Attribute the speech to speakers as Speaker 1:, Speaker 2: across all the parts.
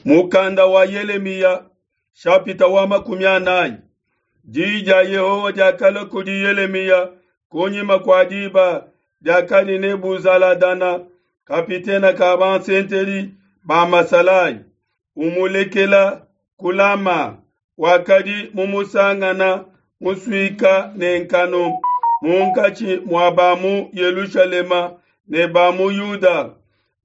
Speaker 1: Mukanda wa Yelemiya shapita wa 40. Diyi dia Yehowa diakalua kudi Yelemiya kunyima kua diba diakadi Nebuzaladana, kapitene ka bansentedi ba masalayi, umulekela ku Lama, wakadi mumusangana musuika ne nkanu munkatshi mua ba mu Yelushalema ne ba mu Yuda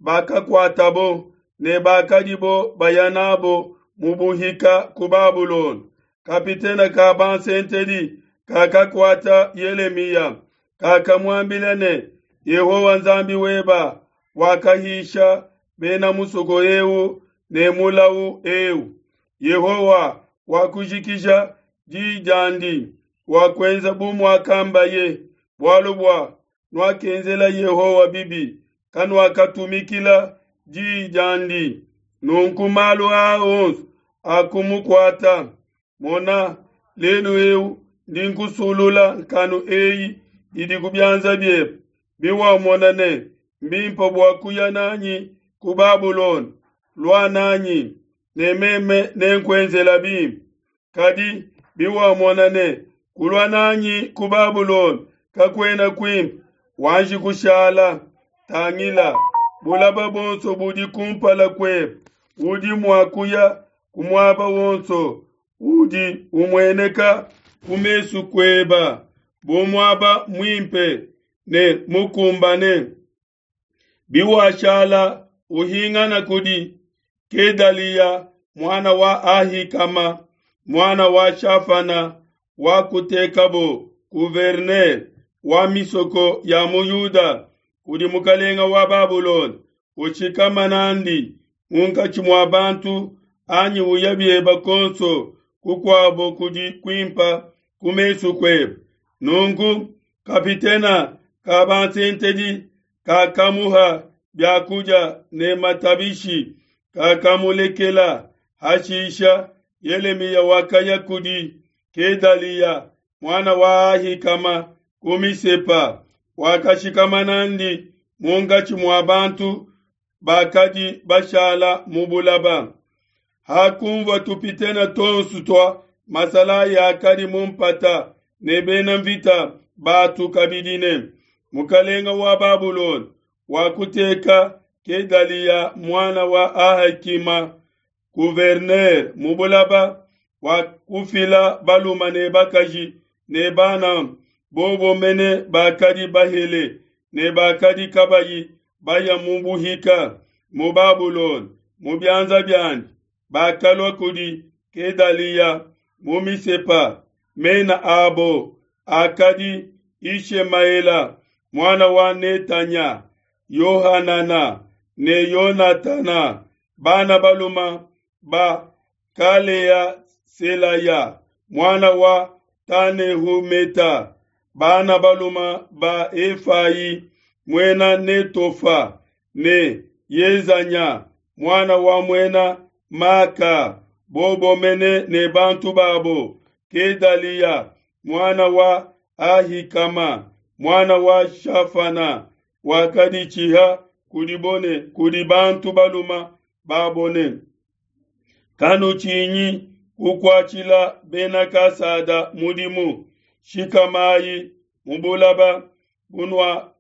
Speaker 1: bakakuatabo ne bakadibo baya nabo mu buhika ku Babulona. Kapitene ka bansentedi kakakuata Yelemiya, kakamuambila ne, Yehowa Nzambi weba wakahisha bena musoko eu ne mulau eu. Yehowa wakujikija di diandi, wakuenza bu muakambaye, bualu bua nuakenzela Yehowa bibi, kanuakatumikila di diandi. Nunku malu aa onso akumukuata. Mona, lelu eu ndi nkusulula nkanu eyi idi ku bianza biebe. Biwamona ne, mbimpe bua kuya nanyi ku Babulona, lua nanyi, ne meme nenkuenzela bimpe. Kadi biwamona ne, kulua nanyi ku Babulona kakuena kuimpe, wanji kushala. Tangila, bulaba bonso budi kumpala kuebe, udi mua kuya ku muaba wonso udi umueneka ku mesu kueba bu muaba muimpe ne mukumbane. Biwashala uhingana kudi Kedaliya muana wa Ahikama muana wa Shafana wakutekabo gouverneur wa misoko ya mu Yuda kudi mukalenga wa Babulona, ushikama nandi munkatshi mua bantu anyi uya bieba konso kukuabo kudi kuimpa ku mesu kuebe. Nunku kapitena ka bansentedi kakamuha biakudia ne matabishi, kakamulekela. Hashisha Yelemiya wakaya kudi Kedaliya muana wa Ahikama ku Misepa, wakashikama nandi munkatshi mua bantu bakadi bashala mu bulaba. Hakunvua tupitene tuonso tua masalayi akadi mu mpata ne bena mvita batu kabidi ne, mukalenga wa Babulona wakuteka Kedaliya muana wa Ahikama gouverneur mu bulaba, wakufila baluma ne bakaji ne bana bobo mene bakadi bahele ne bakadi kabayi baya mu buhika mu Babulona mu bianza biandi, bakalua kudi Kedaliya mu Misepa. Mena abo akadi Ishemaela muana wa Netanya, Yohanana ne Yonatana, bana baluma ba Kalea Selaya muana wa Tanehumeta, bana baluma ba Efai muena Netofa ne Yezanya muana wa muena Maka, bobo mene ne bantu babo. Kedaliya muana wa Ahikama muana wa Shafana wakaditshiha kudi kudi bantu baluma babone. Kanutshinyi kukuatshila bena Kasada mudimu, shikamayi mu bulaba bunua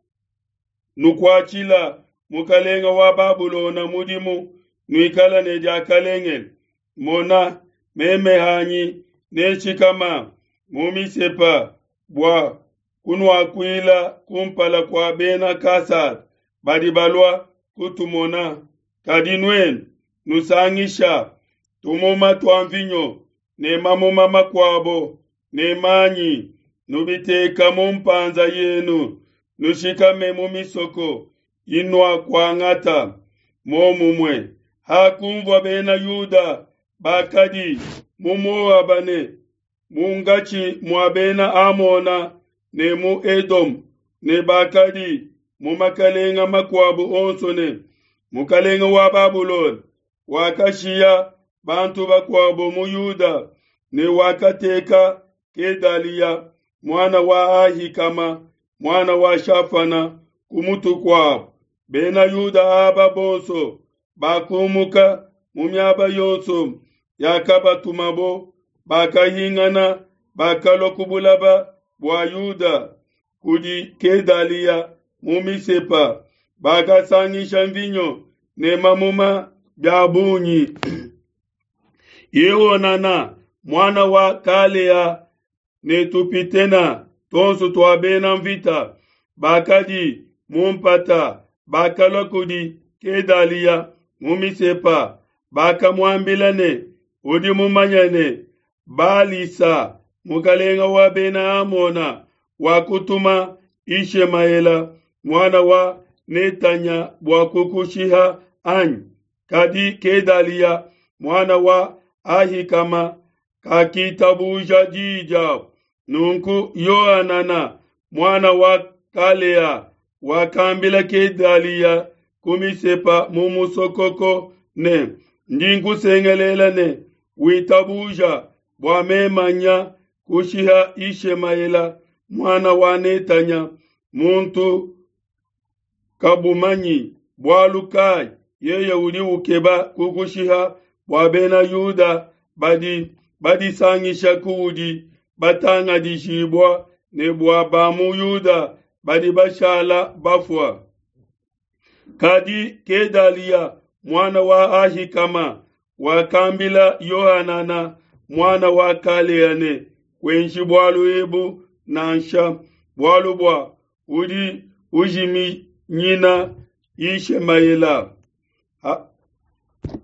Speaker 1: nukuatshila mukalenga wa Babulona mudimu, nuikala ne diakalengele. Mona, meme hanyi nenshikama mu Misepa bua kunuakuila kumpala kua bena Kasada badi balua kutumona. Kadi nuenu nusangisha tumuma tua mvinyo ne mamuma makuabo ne manyi, nubiteka mu mpanza yenu, nushikame mu misoko inuakuangata. Momumue hakunvua bena Yuda bakadi mu Moaba ne munkatshi mua bena Amona ne mu Edom ne bakadi mu makalenga makuabu onso ne, mukalenga wa Babulona wakashiya bantu bakuabo mu Yuda ne wakateka Kedaliya muana wa Ahikama muana wa Shafana ku mutu kuabo. Bena Yuda aba bonso bakumuka mu miaba yonso yakabatumabo, bakahingana, bakalua ku bulaba bua Yuda kudi Kedaliya mu Misepa, bakasangisha mvinyo ne mamuma bia bungi. Yehonana muana wa Kalea ne tupitena tuonso tua bena mvita bakadi mu mpata bakalua kudi Kedaliya mu Misepa, bakamuambila ne, Udi mumanye ne, Balisa mukalenga wa bena Amona wakutuma Ishemaela muana wa Netanya bua kukushiha anyi? Kadi Kedaliya muana wa Ahikama kakitabuja diyi diabo. Nunku Yohanana muana wa Kalea wakambila Kedaliya ku Misepa mu musokoko ne, Ndi nkusengelela ne, Witabuja bua memanya kushiha Ishemaela muana wa Netanya, muntu kabumanyi bualu kai yeye udi ukeba kukushiha bua bena Yuda badi badisangisha kuudi batangadijibua ne bua ba mu Yuda badi bashala bafua. Kadi Kedaliya muana wa Ahikama wakambila Yohanana muana wa Kalea ne, Kuenji bualu ebu nansha, bualu bua udi ujiminyina Yishemaela.